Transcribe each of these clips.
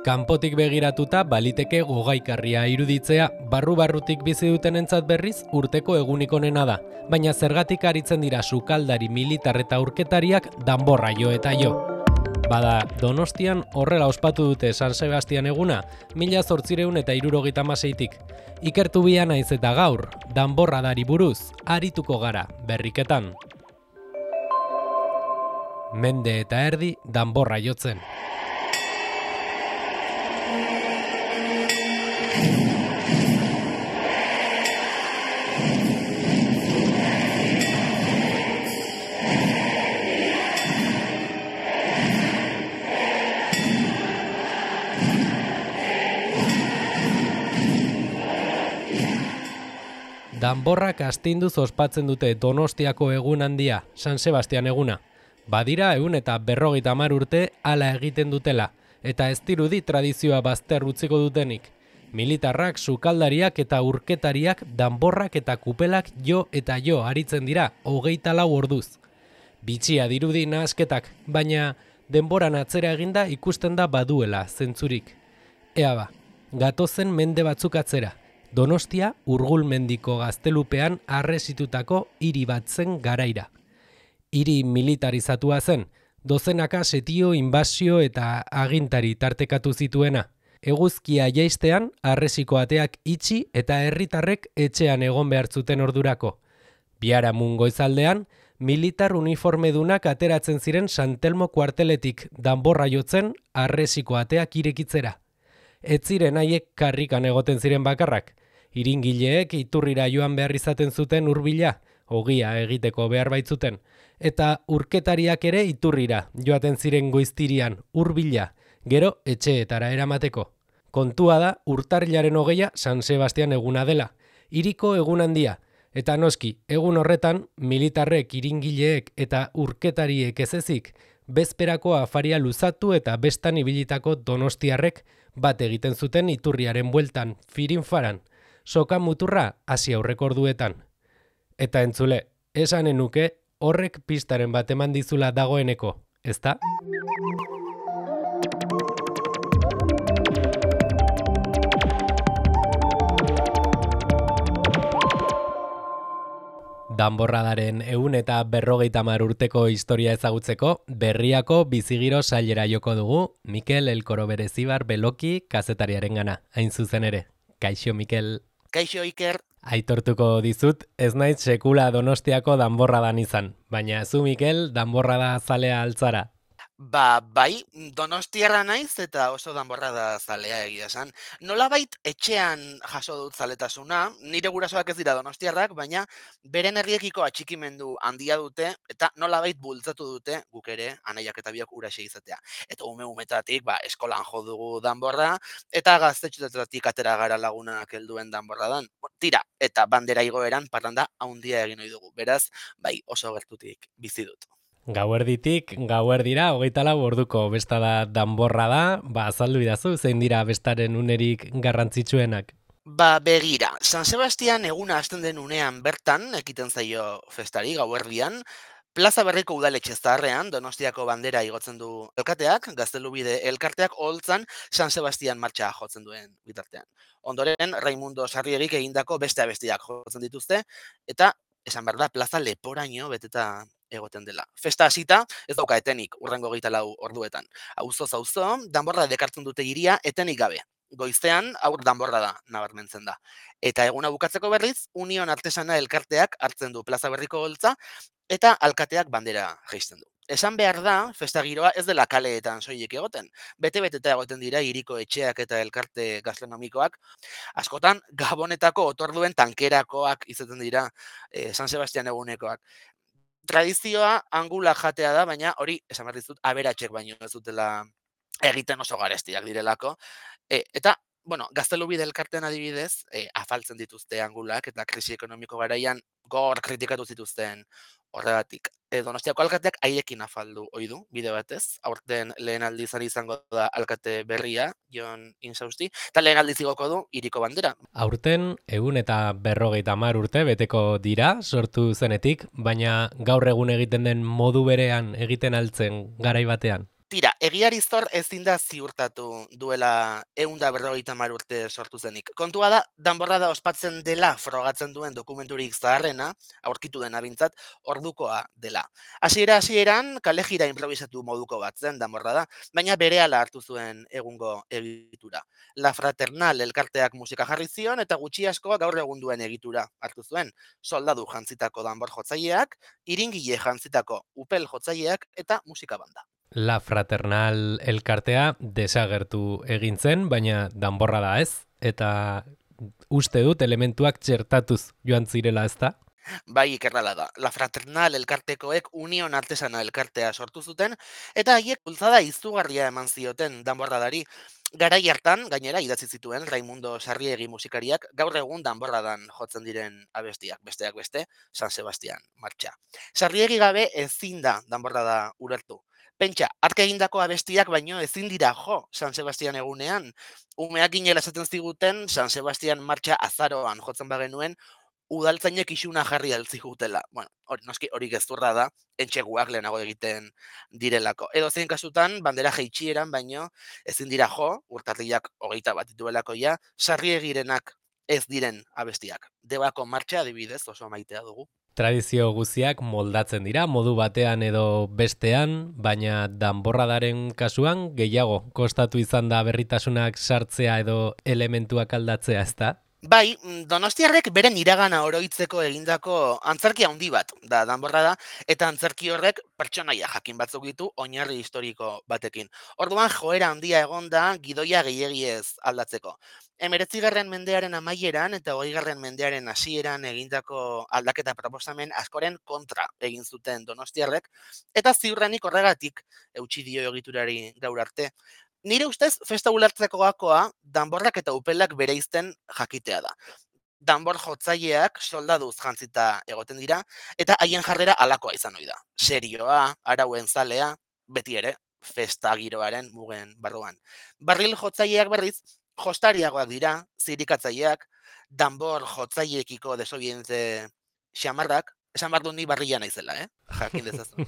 Kanpotik begiratuta baliteke gogaikarria iruditzea, barru-barrutik bizi dutenentzat berriz urteko egunik onena da, baina zergatik aritzen dira sukaldari, militar eta urketariak danborra jo eta jo. Bada, Donostian horrela ospatu dute San Sebastian eguna, 1876tik. Ikertu bia naiz eta gaur, danborradari buruz, arituko gara, berriketan. Mende eta erdi danborra jotzen. Danborrak astinduz ospatzen dute Donostiako egun handia, San Sebastian eguna. Badira 150 urte hala egiten dutela, eta ez dirudi tradizioa bazter utziko dutenik. Militarrak, sukaldariak eta urketariak danborrak eta kupelak jo eta jo aritzen dira 24 orduz. Bitxia dirudi nahasketak, baina denboran atzera eginda ikusten da baduela zentzurik. Ea ba, gatozen mende batzuk atzera. Donostia Urgulmendiko gaztelupean arresitutako hiri bat zen garaira. Hiri militarizatua zen, dozenaka setio, inbasio eta agintari tartekatu zituena. Eguzkia jaistean arresiko ateak itxi eta herritarrek etxean egon behar zuten ordurako. Biharamun goizaldean, militar uniformedunak ateratzen ziren San Telmo kuarteletik danborra jotzen arresiko ateak irekitzera. Ez ziren haiek karrikan egoten ziren bakarrak. Iringileek iturrira joan behar izaten zuten hurbila, ogia egiteko behar baitzuten, eta urketariak ere iturrira joaten ziren goiztirian hurbila, gero etxeetara eramateko. Kontua da urtarrilaren 20 San Sebastian eguna dela, hiriko egun handia, eta noski, egun horretan militarrek, iringileek eta urketariek ez ezik, bezperako afaria luzatu eta bestan ibilitako donostiarrek bat egiten zuten iturriaren bueltan, firinfaran, soka muturra hasi aurreko orduetan. Eta entzule, esanen nuke horrek pistaren bat eman dizula dagoeneko, ezta? Danborradaren 150 urteko historia ezagutzeko, Berriako bizigiro sailera joko dugu, Mikel Elkoro Berezibar Beloki kazetariarengana, hain zuzen ere. Kaixo, Mikel. Kaixo, Iker. Aitortuko dizut, ez naiz sekula Donostiako danborradan izan, baina zu, Mikel, danborrada zalea altzara. Bai, Donostiarra naiz eta oso danborrada zalea egia esan. Nolabait etxean jaso dut zaletasuna, nire gurasoak ez dira donostiarrak, baina beren herriekiko atxikimendu handia dute eta nolabait bultzatu dute guk ere anaiak eta biok huraxe izatea. Eta umetatik eskolan jo dugu danborra eta gaztetxoetatik atera gara lagunak helduen danborradan. Tira, eta bandera igoeran parranda handia egin ohi dugu. Beraz, oso gertutik bizi dut. Gauerditik, gauerdira, 24 orduko besta da danborrada, azaldu idazu, zein dira bestaren unerik garrantzitsuenak? Begira, San Sebastian eguna hasten den unean bertan, ekiten zaio festari, gauerdian, Plaza Berriko udaletxe zaharrean, Donostiako bandera igotzen du elkateak, Gaztelubide elkarteak holtzan San Sebastian martxa jotzen duen bitartean. Ondoren, Raimundo Sarriegik egindako beste abestiak jotzen dituzte, eta esan behar da, plaza leporaino beteta egoten dela. Festa hasita, ez dauka etenik, urrengo 24 orduetan. Auzoz auzo, danborra dekartzen dute hiria etenik gabe. Goizean, aur danborra da, nabarmentzen da. Eta eguna bukatzeko berriz, Union Artesana elkarteak hartzen du Plaza Berriko holtza, eta alkateak bandera jaisten du. Esan behar da, festa giroa ez dela kaleetan soilik egoten. Bete-beteta egoten dira hiriko etxeak eta elkarte gastronomikoak. Askotan, Gabonetako otorduen tankerakoak izaten dira San Sebastian egunekoak. Tradizioa angula jatea da, baina hori, esan behar dizut, aberatxek baino ez dutela egiten oso garestiak direlako. Eta, Gaztelubide elkartean adibidez, afaltzen dituzte angulak eta krisi ekonomiko garaian gor kritikatu zituzten horregatik. Donostiako alkateak haiekin afaldu ohi du, bide batez. Aurten lehen aldiz izango da alkate berria, Jon Insausti, eta lehen aldiz igoko du hiriko bandera. Aurten 150 urte beteko dira sortu zenetik, baina gaur egun egiten den modu berean egiten altzen garai batean. Tira, egiari zor ezin da ziurtatu duela 150 urte sortu zenik. Kontua da, danborrada ospatzen dela frogatzen duen dokumenturik zaharrena, aurkitu dena bintzat, ordukoa dela. Hasieran kalejira improvisatu moduko bat zen danborrada, baina berehala hartu zuen egungo egitura. La Fraternal elkarteak musika jarri zion eta gutxi asko gaur egun duen egitura hartu zuen. Soldadu jantzitako danbor jotzaileak, iringile jantzitako upel jotzaileak eta musika banda. La Fraternal elkartea desagertu egin zen, baina danborra da ez, eta uste dut elementuak txertatuz joan zirela ezta? Bai, ikerrala da. La Fraternal elkartekoek Union Artesana elkartea sortu zuten, eta haiek bultzada izugarria eman zioten danborradari. Garai hartan, gainera, idatzi zituen Raimundo Sarriegi musikariak gaur egun danborradan jotzen diren abestiak, besteak beste, San Sebastian martxa. Sarriegi gabe ezin da danborrada ulertu. Pentsa, hark egindako abestiak baino ezin dira jo San Sebastian egunean. Umeak ginela esaten ziguten San Sebastian martxa azaroan jotzen bagenuen, udaltzainek isuna jarri altzigutela. Bueno, noski hori gezurra da, entxeguak lehenago egiten direlako. Edo zein kasutan, bandera jeitxieran, baino ezin dira jo, urtarriak 21 dituelako ja, Sarriegirenak ez diren abestiak. Debako martxa adibidez oso maitea dugu. Tradizio guziak moldatzen dira, modu batean edo bestean, baina danborradaren kasuan gehiago kostatu izan da berritasunak sartzea edo elementuak aldatzea, ezta? Bai, donostiarrek beren iragana oroitzeko egindako antzerki handi bat da danborrada, eta antzerki horrek pertsonaia jakin batzuk ditu oinarri historiko batekin. Orduan joera handia egon da gidoia gehiegiez aldatzeko. 19. mendearen amaieran eta 20. mendearen hasieran egindako aldaketa proposamen askoren kontra egin zuten donostiarrek, eta ziurrenik horregatik eutsi dio egiturari gaur arte. Nire ustez, festa ulertzeko gakoa, danborrak eta upelak bereizten jakitea da. Danbor jotzaileak soldaduz jantzita egoten dira, eta haien jarrera alakoa izan ohi da. Serioa, arauen zalea, beti ere, festa giroaren mugen barruan. Barril jotzaileak berriz, jostariagoak dira, zirikatzaileak, danbor jotzaileekiko desobediente xamarrak, esan behar dut ni barrila naizela, jakin dezazu.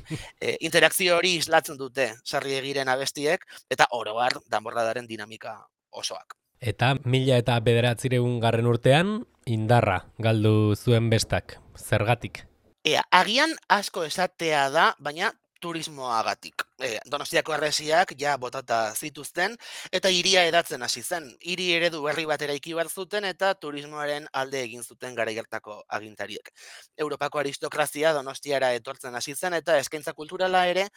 Interakzio hori islatzen dute Sarriegiren abestiek, eta oro har danborradaren dinamika osoak. Eta 1909 urtean indarra galdu zuen bestak. Zergatik? Agian asko esatea da, baina turismoagatik. Donostiako harresiak ja botata zituzten, eta hiria edatzen hasi zen. Hiri eredu berri bat eraiki behar zuten, eta turismoaren alde egin zuten garai hartako agintariek. Europako aristokrazia Donostiara etortzen hasi zen, eta eskaintza kulturala ere,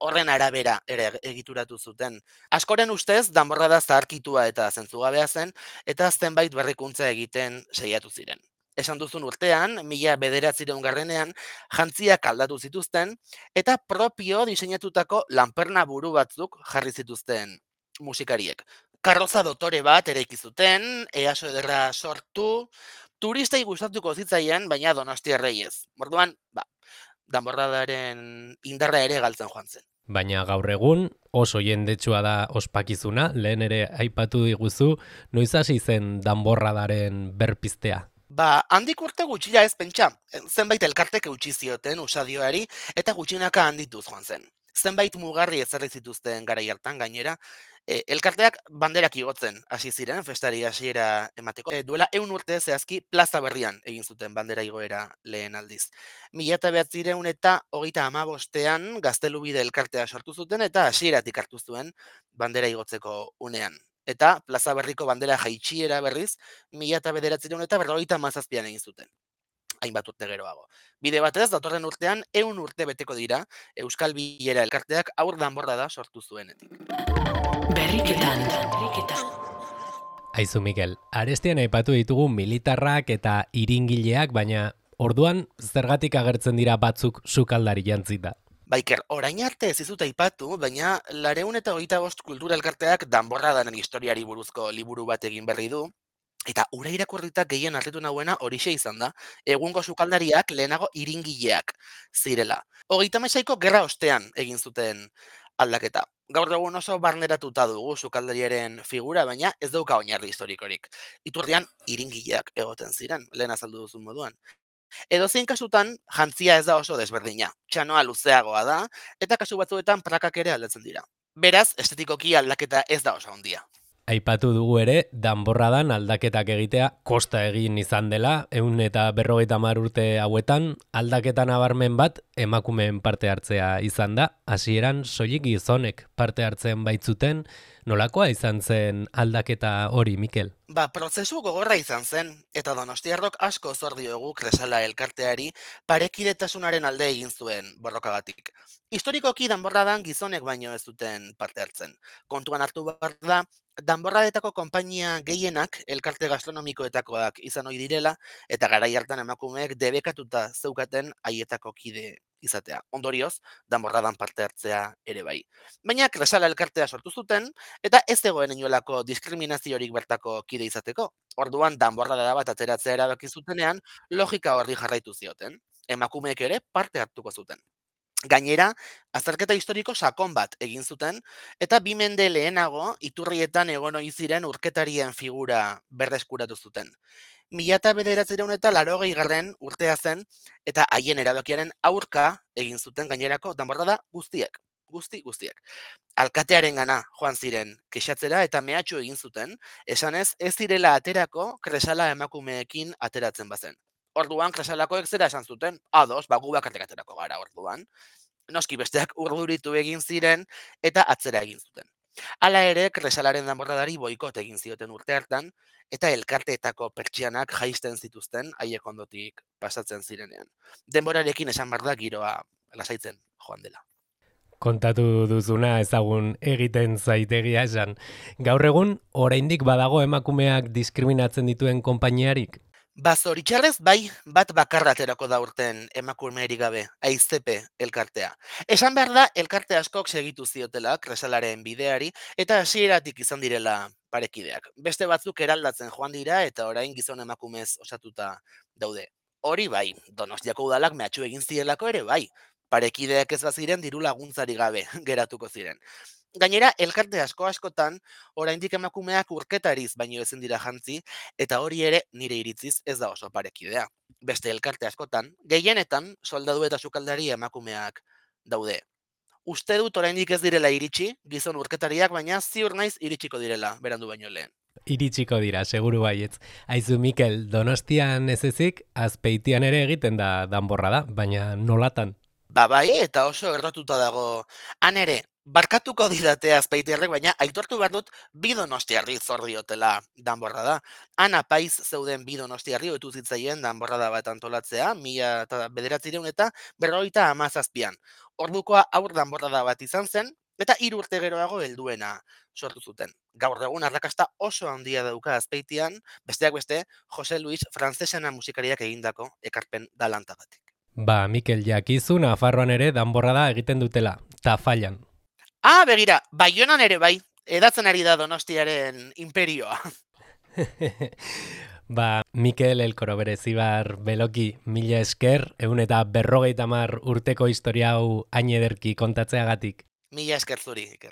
horren arabera ere egituratu zuten. Askoren ustez, danborrada zaharkitua eta zentzugabea zen, eta zenbait berrikuntza egiten saiatu ziren. Esan duzun urtean, 1909 jantziak aldatu zituzten, eta propio diseinatutako lanperna buru batzuk jarri zituzten musikariek. Karroza dotore bat eraiki zuten, easo ederra sortu, turistei gustatuko zitzaien, baina donostiarrei ez. Orduan, danborradaren indarra ere galtzen joan zen. Baina gaur egun oso jendetsua da ospakizuna, lehen ere aipatu diguzu, noiz hasi zen danborradaren berpiztea? Handik urte gutxira ez pentsa, zenbait elkartek eutsi zioten usadioari eta gutxinaka handituz joan zen. Zenbait mugarri ezarri zituzten garai hartan gainera, elkarteak banderak igotzen hasi ziren festari hasiera emateko. Duela 100 urte zehazki plaza berrian egin zuten bandera igoera lehen aldiz. 1935ean Gaztelubide elkartea sortu zuten eta hasieratik hartu zuen bandera igotzeko unean. Eta plaza berriko bandera jaitshiera berriz 1957ean egin zuten. Hainbat urte geroago. Bide batez, datorren urtean 100 urte beteko dira Euskal Bilera elkarteak haur danborrada sortu zuenetik. Berriketan. Aizu Mikel, arestian aipatu ditugu militarrak eta iringileak, baina orduan zergatik agertzen dira batzuk sukaldari jantzita? Baiker, orain arte ez dizut aipatu, baina 225 kultura elkarteak danborradaren historiari buruzko liburu bat egin berri du, eta ura irakurrita gehien harritu nahuena horixe izan da, egungo sukaldariak lehenago iringileak zirela. 36ko gerra ostean egin zuten aldaketa. Gaur egun oso barneratuta dugu sukaldariaren figura, baina ez dauka oinarri historikorik. Iturrian iringileak egoten ziren, lehen azaldu duzun moduan. Edozein kasutan, jantzia ez da oso desberdina. Txanoa luzeagoa da, eta kasu batzuetan prakak ere aldatzen dira. Beraz, estetikoki aldaketa ez da oso handia. Aipatu dugu ere, danborradan aldaketak egitea kosta egin izan dela, 150 urte hauetan, aldaketa nabarmen bat emakumeen parte hartzea izan da, hasieran soilik gizonek parte hartzen baitzuten, nolakoa izan zen aldaketa hori, Mikel? Prozesu gogorra izan zen, eta donostiarrok asko zor diogu Kresala elkarteari parekidetasunaren alde egin zuen borrokagatik. Historikoki danborradan gizonek baino ez duten parte hartzen. Kontuan hartu behar da, danborradetako konpainia gehienak elkarte gastronomikoetakoak izan ohi direla, eta garai hartan emakumeek debekatuta zeukaten haietako kide izatea. Ondorioz, danborradan parte hartzea ere bai. Baina Kresala elkartea sortu zuten, eta ez zegoen inolako diskriminaziorik bertako kide izateko. Orduan, danborrada bat ateratzea erabaki zutenean, logika horri jarraitu zioten. Emakumeek ere parte hartuko zuten. Gainera, azterketa historiko sakon bat egin zuten, eta 2 mende lehenago iturrietan egon ohi ziren urketarien figura berreskuratu zuten. 1980 urtea zen, eta haien erabakiaren aurka egin zuten gainerako danborrada guztiek. Guztiek. Alkatearengana joan ziren kexatzera eta mehatxu egin zuten, esanez ez direla aterako Kresala emakumeekin ateratzen bazen. Orduan Kresalakoek zera esan zuten, ados, gu bakarrik aterako gara orduan. Noski besteak urduritu egin ziren eta atzera egin zuten. Hala ere, Kresalaren danborradari boikot egin zioten urte hartan, eta elkarteetako pertsianak jaisten zituzten haiek ondotik pasatzen zirenean. Denborarekin esan behar da giroa lasaitzen joan dela. Kontatu duzuna ezagun egiten zaitegia esan. Gaur egun, oraindik badago emakumeak diskriminatzen dituen konpainiarik? Zoritxarrez bai, bat bakarra aterako da urten emakumerik gabe, AIZP elkartea. Esan behar da, elkarte askok segitu ziotela Kresalaren bideari, eta hasieratik izan direla parekideak. Beste batzuk eraldatzen joan dira, eta orain gizon emakumez osatuta daude. Hori bai, Donostiako udalak mehatxu egin zielako ere bai. Parekideak ez baziren diru laguntzari gabe geratuko ziren. Gainera, elkarte askotan, oraindik emakumeak urketariz baino ezin dira jantzi, eta hori ere nire iritziz ez da oso parekidea. Beste elkarte askotan, gehienetan soldadu eta sukaldari emakumeak daude. Uste dut oraindik ez direla iritsi, gizon urketariak, baina ziur naiz iritsiko direla, berandu baino lehen. Iritsiko dira, seguru baietz. Aizu, Mikel, Donostian ez ezik, Azpeitian ere egiten da danborrada, baina nolatan? Bai, eta oso errotuta dago. Han ere, barkatuko didate Azpeitiarrek, baina aitortu behar dut bi donostiarri zor diotela danborrada. Han apaiz zeuden bi donostiarri ohitu zitzaien danborrada bat antolatzea, 1957an. Ordukoa aur danborrada bat izan zen, eta 3 urte geroago helduena sortu zuten. Gaur egun arrakasta oso handia dauka Azpeitian, besteak beste, Jose Luis Francesena musikariak egindako ekarpen galantagatik. Mikel, jakizu Nafarroan ere danborrada egiten dutela, Tafallan. Begira, Baionan ere bai, edatzen ari da Donostiaren imperioa. Mikel Elkoro Berezibar Beloki, mila esker, 150 urteko historia hau hain ederki kontatzeagatik. Mila esker zuri, Iker.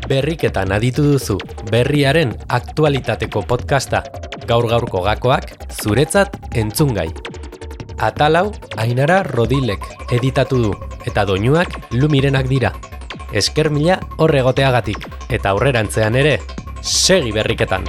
Berriketan aditu duzu, berriaren aktualitateko podcasta. Gaur-gaurko gakoak zuretzat entzungai. Atalau Ainara Rodilek editatu du, eta doinuak Lumirenak dira. Esker mila hor egoteagatik, eta aurrerantzean ere, segi berriketan!